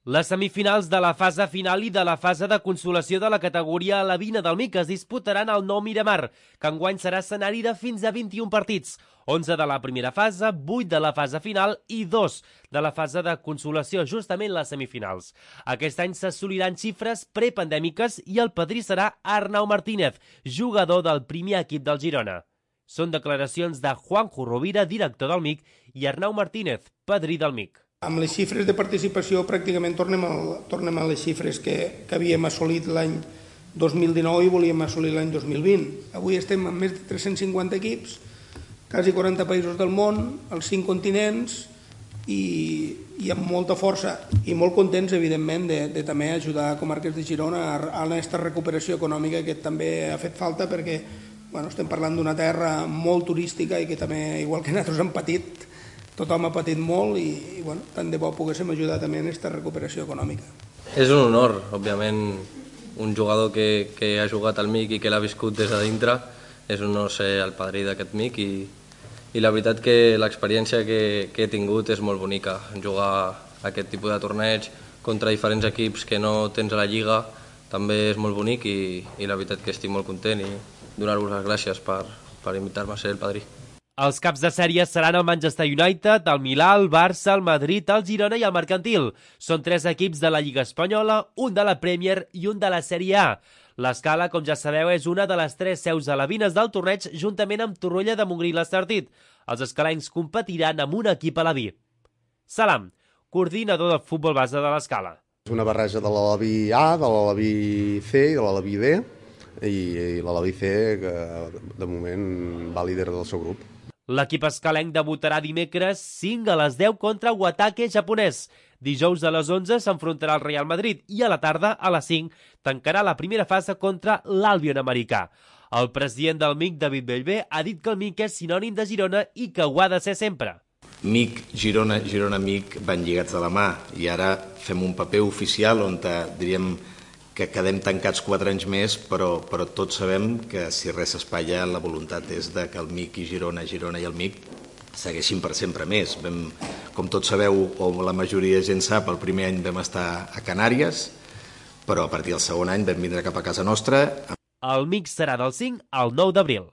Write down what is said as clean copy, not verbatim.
Les semifinals de la fase final i de la fase de consolació de la categoria alevina del MIC es disputaran al Nou Miramar, que enguany serà escenari de fins a 21 partits, 11 de la primera fase, 8 de la fase final i 2 de la fase de consolació, justament les semifinals. Aquest any s'assoliran xifres prepandèmiques i el padrí serà Arnau Martínez, jugador del primer equip del Girona. Són declaracions de Juanjo Rovira, director del MIC, i Arnau Martínez, padrí del MIC. Amb les xifres de participació pràcticament tornem a les xifres que havíem assolit l'any 2019 i volíem assolir l'any 2020. Avui estem amb més de 350 equips, quasi 40 països del món, als 5 continents i amb molta força i molt contents, evidentment, de també ajudar a Comarques de Girona a aquesta recuperació econòmica que també ha fet falta perquè estem parlant d'una terra molt turística i que també, igual que nosaltres hem patit, tothom ha patit molt i tant de bo poguéssim ajudar també en aquesta recuperació econòmica. És un honor, òbviament, un jugador que ha jugat al MIC i que l'ha viscut des de dintre. És un honor ser el padrí d'aquest MIC i la veritat que l'experiència que he tingut és molt bonica. Jugar aquest tipus de torneig contra diferents equips que no tens a la Lliga també és molt bonic i la veritat que estic molt content i donar-vos les gràcies per invitar-me a ser el padrí. Els caps de sèrie seran el Manchester United, el Milà, el Barça, el Madrid, el Girona i el Mercantil. Són 3 equips de la Lliga Espanyola, un de la Premier i un de la Sèrie A. L'Escala, com ja sabeu, és una de les 3 seus alevines del torneig juntament amb Torroella de Montgrí i l'Estartit. Els escalencs competiran amb un equip aleví. Salam, coordinador del futbol base de l'Escala. És una barreja de l'Aleví A, de l'Aleví C i de l'Aleví D, i l'Aleví C, que de moment va líder del seu grup. L'equip escalenc debutarà dimecres 5 a les 10 contra Wataque japonès. Dijous a les 11 s'enfrontarà al Real Madrid i a la tarda a les 5 tancarà la primera fase contra l'Albion americà. El president del MIC, David Bellver, ha dit que el MIC és sinònim de Girona i que ho ha de ser sempre. MIC, Girona, Girona-MIC van lligats de la mà i ara fem un paper oficial on diríem que quedem tancats 4 anys més, però tots sabem que si res s'espatlla la voluntat és de que el MIC i Girona i el MIC segueixin per sempre més. Com tots sabeu, o la majoria de gent sap, el primer any vam estar a Canàries, però a partir del segon any vam vindre cap a casa nostra. El MIC serà del 5 al 9 d'abril.